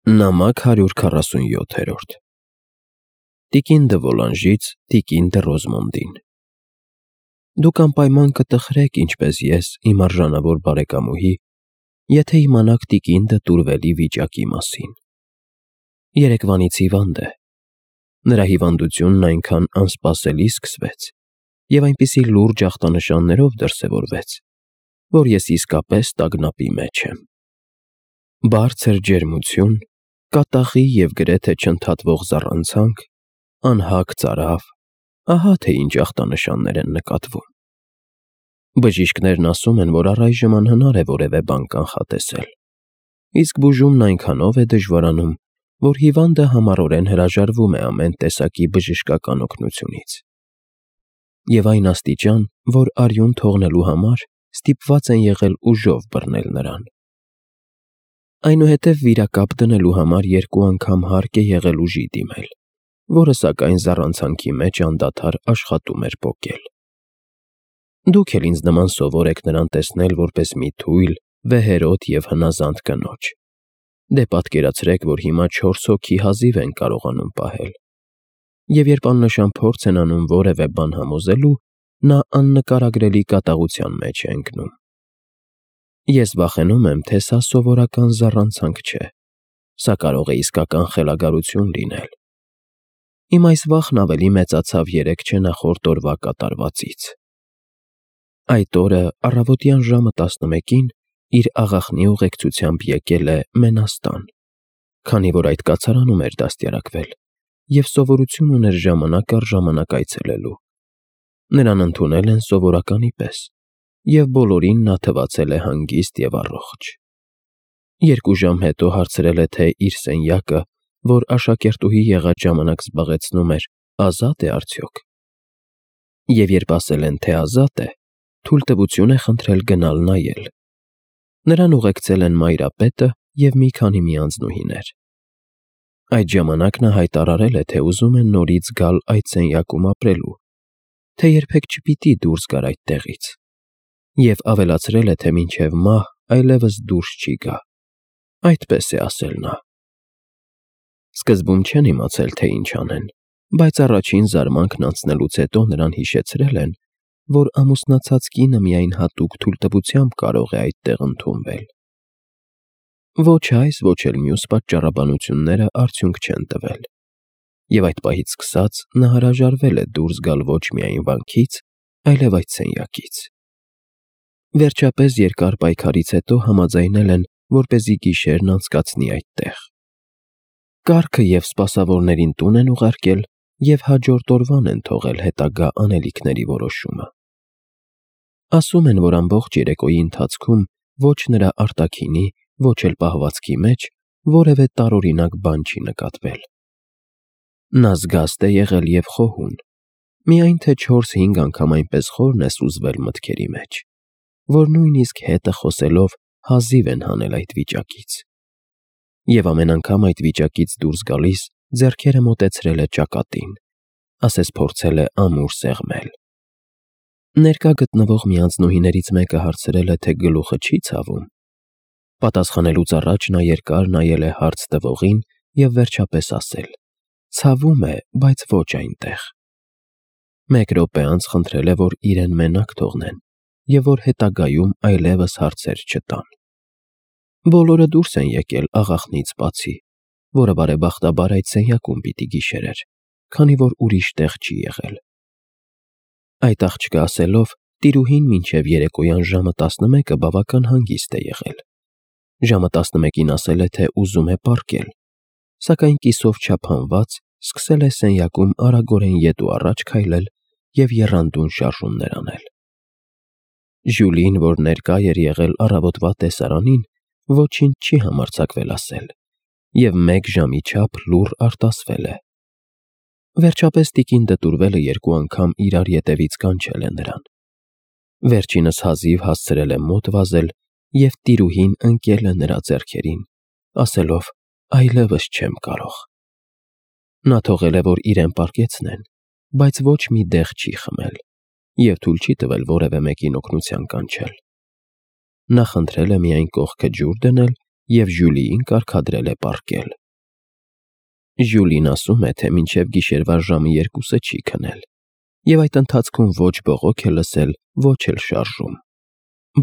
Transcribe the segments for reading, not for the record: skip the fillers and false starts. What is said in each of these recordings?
Նամակ 147 Տիկին դը Վոլանժից Տիկին դը Ռոզմոնդին Դուք անպայման կտխրեք, ինչպես ես, իմ արժանավոր բարեկամուհի, եթե իմանաք տիկին դը Տուրվելի վիճակի մասին։ Երեկվանից հիվանդ է։ Նրա հիվանդությունն այնքան անսպասելի սկսվեց և այնպիսի լուրջ ախտանշաններով դրսևորվեց, որ ես իսկապես տագնապի մեջ եմ։ Բարձր ջերմություն, կատաղի և գրեթե չընդհատվող զառանցանք, անհագ ծարավ, ահա թե ինչ ախտանշաններ են նկատվում։ Բժիշկներն ասում են, որ առայժմ անհնար է որևէ բան կանխատեսել, իսկ բուժումն այնքանով է դժվարանում, որ հիվանդը համառորեն հրաժարվում է ամեն տեսակի բժշկական օգնությունից։ Եվ այն աստիճան, որ արյուն թողնելու համար ստիպված են եղել ուժով բռնել նրան։ Այնուհետև վիրակապ դնելու համար 2 անգամ հարկ է եղել ուժի դիմել, որը սակայն զառանցանքի մեջ անդադար աշխատում էր պոկել։ Դուք էլ ինձ նման սովոր եք նրան տեսնել որպես մի թույլ, վեհերոտ և հնազանդ կնոջ։ Դե պատկերացրեք, որ հիմա 4 հոգի հազիվ են կարողանում պահել։ Եվ երբ աննշան փորձ են անում որևէ բան համոզելու, նա աննկարագրելի կատաղության մեջ է ընկնում։ Ես վախենում եմ, թե սա սովորական զառանցանք չէ, սա կարող է իսկական խելագարություն լինել։ Իմ այս վախն ավելի մեծացավ 3 չնախորդ օրվա կատարվածից։ Այդ օրը առավոտյան ժամը 11-ին իր աղախնի ուղեկցությամբ եկել է Մենաստան, քանի որ այդ կացարանում էր դաստիարակվել և սովորություն ուներ ժամանակ առ ժամանակ այցելելու։ Նրան ընդունել են սովորականի պես, և բոլորին նա թվացել է հանգիստ և առողջ։ 2 ժամ հետո հարցրել է, թե իր սենյակը, որ աշակերտուհի եղած ժամանակ զբաղեցնում էր, ազատ է արդյոք։ Եվ երբ ասել են, թե ազատ է, թույլտվություն է խնդրել գնալ նայել։ Նրան ուղեկցել են մայրապետը և մի քանի միանձնուհիներ։ Այդ ժամանակ նա հայտարարել է, թե ուզում է նորից գալ այդ սենյակում ապրելու, թե երբեք չպիտի դուրս գար այդտեղից, և ավելացրել է, թե մինչև մահ այլևս դուրս չի գա։ Այդպես է ասել նա։ Սկզբում չեն իմացել, թե ինչ անեն, բայց առաջին զարմանքն անցնելուց հետո նրան հիշեցրել են, որ ամուսնացած կինը միայն հատուկ թույլտվությամբ կարող է այդտեղ ընդունվել։ Ոչ այս, ոչ էլ մյուս պատճառաբանությունները արդյունք չեն տվել, և այդ պահից սկսած նա հրաժարվել է դուրս գալ ոչ միայն վանքից, այլև այդ սենյակից։ Վերջապես երկար պայքարից հետո համաձայնել են, որպեսզի գիշերն անցկացնի այդտեղ։ Կառքը և սպասավորներին տուն են ուղարկել և հաջորդ օրվան են թողել հետագա անելիքների որոշումը։ Ասում են, որ ամբողջ երեկոյի ընթացքում ոչ նրա արտաքինի, ոչ էլ պահվածքի մեջ որևէ տարօրինակ բան չի նկատվել։ Նա զգաստ է եղել և խոհուն, միայն թե 4-5 անգամ այնպես խորն է սուզվել մտքերի մեջ, որ նույնիսկ հետը խոսելով հազիվ են հանել այդ վիճակից։ Եվ ամեն անգամ այդ վիճակից դուրս գալիս ձեռքերը մոտեցրել է ճակատին, ասես փորձել է ամուր սեղմել։ Ներկա գտնվող միանձնուհիներից մեկը հարցրել է, թե գլուխը չի ցավում։ Պատասխանելուց առաջ նա երկար նայել է հարց տվողին և վերջապես ասել. «Ցավում է, բայց ոչ այնտեղ»։ 1 րոպե անց խնդրել է, որ իրեն մենակ թողնեն և որ հետագայում այլևս հարցեր չտան։ Բոլորը դուրս են եկել աղախնից բացի, որը բարեբախտաբար այդ սենյակում պիտի գիշերեր, քանի որ ուրիշ տեղ չի եղել։ Այդ աղջկա ասելով, տիրուհին մինչև երեկոյան ժամը 11-ը բավական հանգիստ է եղել։ Ժամը 11-ին ասել է, թե ուզում է պառկել, սակայն կիսով չափանված սկսել է սենյակում արագորեն ետ ու առաջ քայլել և եռանդուն շարժումներ անել։ Ժյուլին, որ ներկա էր եղել առավոտվա տեսարանին, ոչինչ չի համարձակվել ասել և 1 ժամի չափ լուռ արտասվել է։ Վերջապես տիկին Տուրվելը 2 անգամ իրար ետևից կանչել է նրան։ Վերջինս հազիվ հասցրել է մոտ վազել, և տիրուհին ընկել է նրա ձեռքերին, ասելով. «Այլևս չեմ կարող»։ Նա թողել է, որ իրեն պառկեցնեն, բայց ոչ մի դեղ չի խմել և թույլ չի տվել որևէ մեկին օգնության կանչել։ Նա խնդրել է միայն կողքը ջուր դնել և Ժյուլիին կարգադրել է պառկել։ Ժյուլին ասում է, թե մինչև գիշերվա ժամը 2-ը չի քնել, և այդ ընթացքում ոչ բողոք է լսել, ոչ էլ շարժում։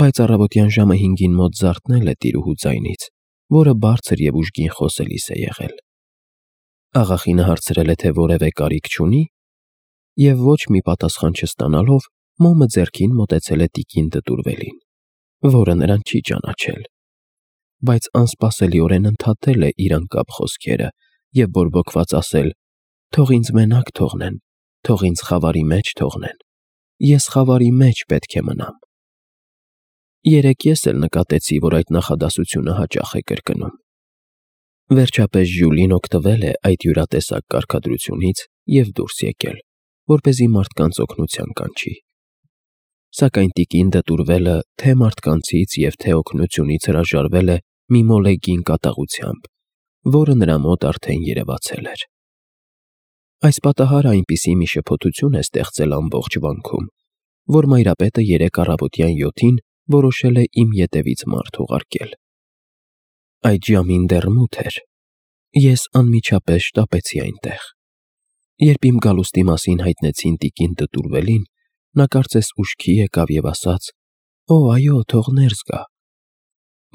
Բայց առավոտյան ժամը 5-ին մոտ զարթնել է տիրուհու ձայնից, որը բարձր և ուժգին խոսելիս է եղել։ Աղախինը հարցրել է, թե որևէ կարիք չունի, և ոչ մի պատասխան չստանալով, մոմը ձեռքին մոտեցել է տիկին դտուրվելին, որը նրան չի ճանաչել, բայց անսպասելիորեն ընդհատել է իր անկապ խոսքերը և բորբոքված ասել. «Թող ինձ մենակ թողնեն, թող ինձ խավարի մեջ թողնեն, ես խավարի մեջ պետք է մնամ»։ Երեկ ես էլ նկատեցի, որ այդ նախադասությունը հաճախ է կրկնում։ Վերջապես Ժյուլին օգտվել է այդ յուրատեսակ կարգադրությունից և դուրս եկել, որպեսզի մարդկանց օգնության կանչի։ Սակայն տիկին դտուրվելը թե մարդկանցից և թե օգնությունից հրաժարվել է մի մոլեգին կատաղությամբ, որը նրա մոտ արդեն երևացել էր։ Այս պատահարը այնպիսի մի շփոթություն է ստեղծել ամբողջ վանքում, որ մայրապետը երեկ առավոտյան 7-ին որոշել է իմ ետևից մարդ ուղարկել։ Այդ ժամին դեռ մութ էր։ Ես անմիջապես շտապեցի այնտեղ։ Երբ իմ գալուստի մասին հայտնեցին տիկին դտուրվելին, նա կարծես ուշքի եկավ և ասաց. «Օ, այո, թող ներս գա»։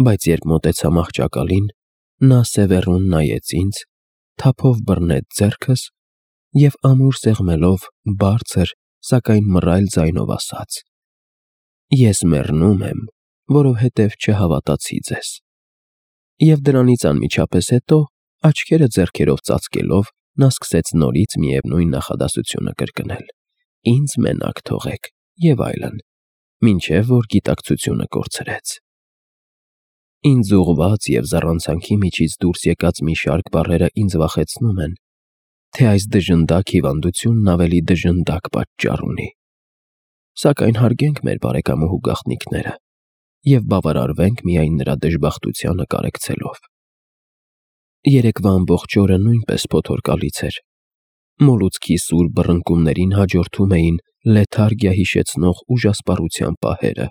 Բայց երբ մոտեցա մահճակալին, նա սևեռուն նայեց ինձ, թափով բռնեց ձեռքս և ամուր սեղմելով բարձր, սակայն մռայլ ձայնով ասաց. «Ես մեռնում եմ, որովհետև չհավատացի ձեզ»։ Եվ դրանից անմիջապես հետո, աչքերը ձեռքերով ծածկելով, նա սկսեց նորից միևնույն նախադասությունը կրկնել. «Ինձ մենակ թողեք» և այլն, մինչև որ գիտակցությունը կորցրեց։ Ինձ ուղղված և զառանցանքի միջից դուրս եկած մի շարք բառերը ինձ վախեցնում են, թե այս դժնդակ հիվանդությունն ավելի դժնդակ պատճառ ունի։ Սակայն հարգենք մեր բարեկամուհու գաղտնիքները և բավարարվենք միայն նրա դժբախտությանը կարեկցելով։ Երեկվա ամբողջ օրը նույնպես փոթորկալից էր։ Մոլուցքի սուր բռնկումներին հաջորդում էին լեթարգիա հիշեցնող ուժասպառության պահերը։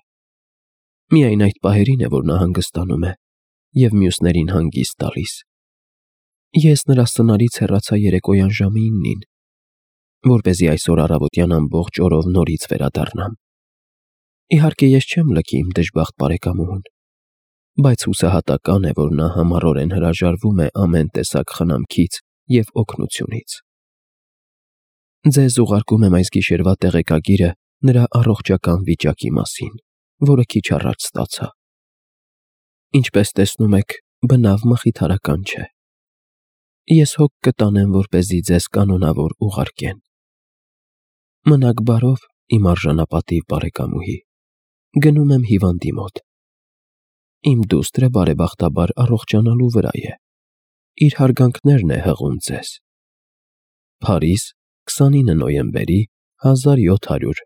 Միայն այդ պահերին է, որ նա հանգստանում է և մյուսներին հանգիստ տալիս։ Ես նրա սնարից հեռացա երեկոյան ժամը 9-ին, որպեսզի այսօր առավոտյան ամբողջ օրով նորից վերադառնամ։ Իհարկե, ես չեմ լքի իմ դժբախտ բարեկամուհուն, բայց հուսահատական է, որ նա համառորեն հրաժարվում է ամեն տեսակ խնամքից և օգնությունից։ Ձեզ ուղարկում եմ այս գիշերվա տեղեկագիրը նրա առողջական վիճակի մասին, որը քիչ առաջ ստացա։ Ինչպես տեսնում եք, բնավ մխիթարական չէ։ Ես հոգ կտանեմ, որպեսզի ձեզ կանոնավոր ուղարկեն։ Մնաք բարով, իմ արժանապատիվ բարեկամուհի։ Գնում եմ հիվանդի մոտ։ Իմ դուստրը բարեբախտաբար առողջանալու վրա է։ Իր հարգանքներն է հղում ձեզ։ Փարիզ, 29 նոյեմբերի 1700։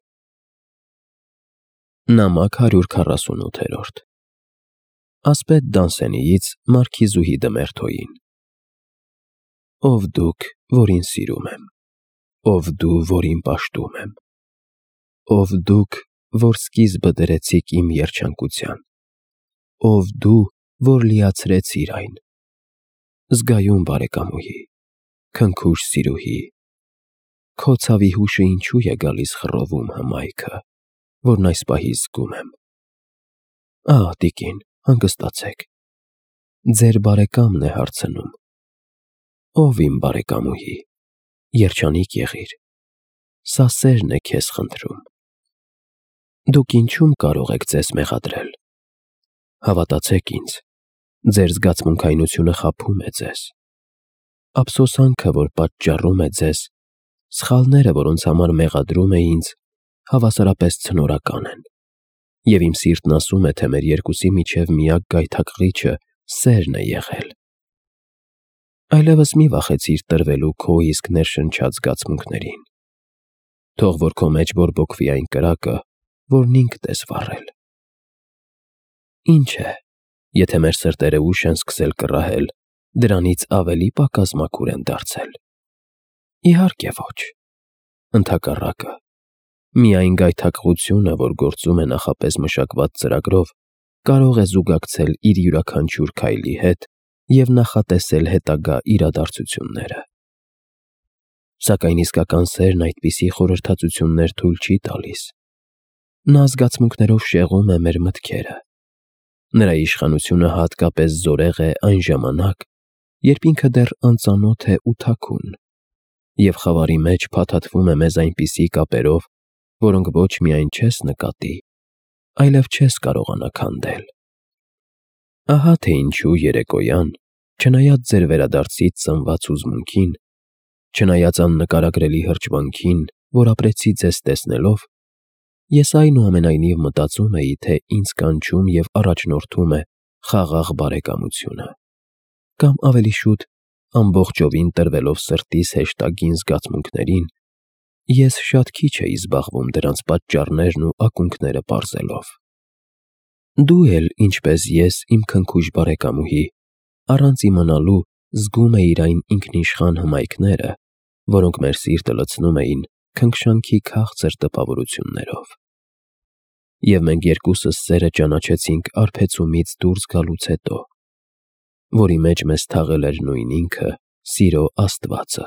Նամակ 148։ Ասպետ Դանսենիից մարքիզուհի Դմերթոյին։ Ով դուք, որին սիրում եմ, ով դու, որին պաշտում եմ, ով դուք, որ սկիզբը դրեցիք իմ երջանկության, ով դու, որ լիացրեցիր այն, զգայուն բարեկամուհի, քնքուշ սիրուհի, քո ցավի հուշը ինչու է գալիս խռովում հմայքը, որն այս պահի զգում եմ։ Ահ, տիկին, հանգստացեք, ձեր բարեկամն է հարցնում։ Ով իմ բարեկամուհի, երջանիկ եղիր, սա սերն է քեզ խնդրում։ Դուք ինչու՞մ կարող եք ձեզ մեղադրել։ Հավատացեք ինձ, ձեր զգացմունքայնությունը խաբում է ձեզ։ Ափսոսանքը, որ պատճառում է ձեզ, սխալները, որոնց համար մեղադրում է ինձ, հավասարապես ցնորական են, և իմ սիրտն ասում է, թե մեր երկուսի միջև միակ գայթակղիչը սերն է եղել։ Այլևս մի վախեցիր տրվելու քո իսկ ներշնչած զգացմունքներին։ Թող որ քո մեջ բորբոքվի այն կրակը, որն ինքդ ես վառել։ Ինչ է, եթե մեր սրտերը ուշ են սկսել կռահել, դրանից ավելի պակաս մաքուր են դարձել։ Իհարկե ոչ։ Ընդհակառակը, միայն գայթակղությունը, որ գործում է նախապես մշակված ծրագրով, կարող է զուգակցել իր յուրաքանչյուր քայլի հետ և նախատեսել հետագա իրադարձությունները։ Սակայն իսկական սերն այդպիսի խորհրդածություններ թույլ չի տալիս։ Նա զգացմունքներով շեղում է մեր մտքերը։ Նրա իշխանությունը հատկապես զորեղ է այն ժամանակ, երբ ինքը դեռ անծանոթ է ու թաքուն, և խավարի մեջ փաթաթվում է մեզ այնպիսի կապերով, որոնք ոչ միայն չես նկատի, այլև չես կարողանա քանդել։ Ահա թե ինչու երեկոյան, չնայած ձեր վերադարձից ծնված հուզմունքին, չնայած աննկարագրելի հրճվանքին, որ ապրեցի ձեզ տեսնելով, ես այնուամենայնիվ մտածում էի, թե ինձ կանչում և առաջնորդում է խաղաղ բարեկամությունը, կամ ավելի շուտ, ամբողջովին տրվելով սրտիս հեշտագին զգացմունքներին, ես շատ քիչ էի զբաղվում դրանց պատճառներն ու ակունքները պարզելով։ Դու էլ, ինչպես ես, իմ քնքուշ բարեկամուհի, առանց իմանալու զգում էիր այն ինքնիշխան հմայքները, որոնք մեր սիրտը լցնում էին քնքշանքի քաղցր տպավորություններով։ Եվ մենք երկուսս սերը ճանաչեցինք արբեցումից դուրս գալուց հետո, որի մեջ մեզ թաղել էր նույն ինքը՝ սիրո Աստվածը։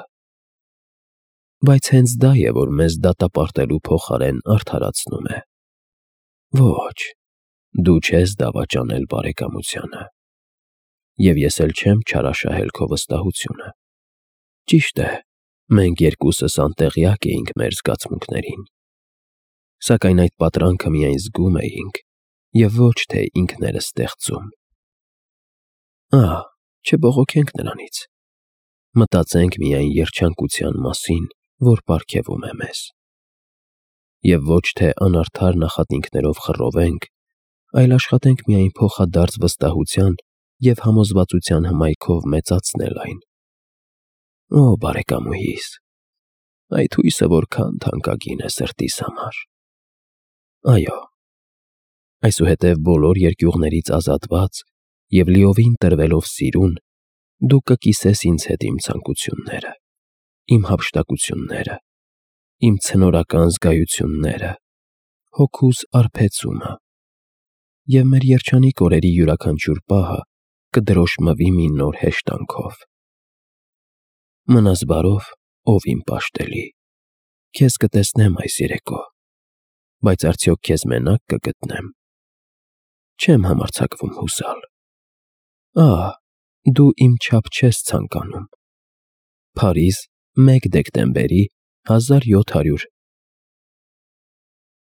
Բայց հենց դա է, որ մեզ դատապարտելու փոխարեն արդարացնում է։ Ոչ, դու չես դավաճանել բարեկամությանը, և ես էլ չեմ չարաշահել քո վստահությունը։ Ճիշտ է, մենք երկուսս անտեղյակ էինք մեր զգացմունքներին, սակայն այդ պատրանքը միայն զգում էինք և ոչ թե ինքներս ստեղծում։ Չբողոքենք նրանից, մտածենք միայն երջանկության մասին, որ պարգևում է մեզ։ Եվ ոչ թե անարդար նախատինքներով խռովենք, այլ աշխատենք միայն փոխադարձ վստահության և համոզվածության հմայքով մեծացնել այն։ Օ, բարեկամուհիս, այդ հույսը որքան թանկագին է սրտիս համար։ Այո, այսուհետև բոլոր երկյուղներից ազատված և լիովին տրվելով սիրուն, դու կկիսես ինձ հետ իմ ցանկությունները, իմ հափշտակությունները, իմ ցնորական զգայությունները, հոգուս արբեցումը, և մեր երջանիկ օրերի յուրաքանչյուր պահը կդրոշմվի մի նոր հեշտանքով։ Մնաս բարով, ով իմ պաշտելի, քեզ կտեսնեմ այս երեկո, բայց արդյոք քեզ մենակ կգտնեմ։ Չեմ համարձակվում հուսալ։ Դու իմ չափ չես ցանկանում։ Փարիզ, 1 դեկտեմբերի 1700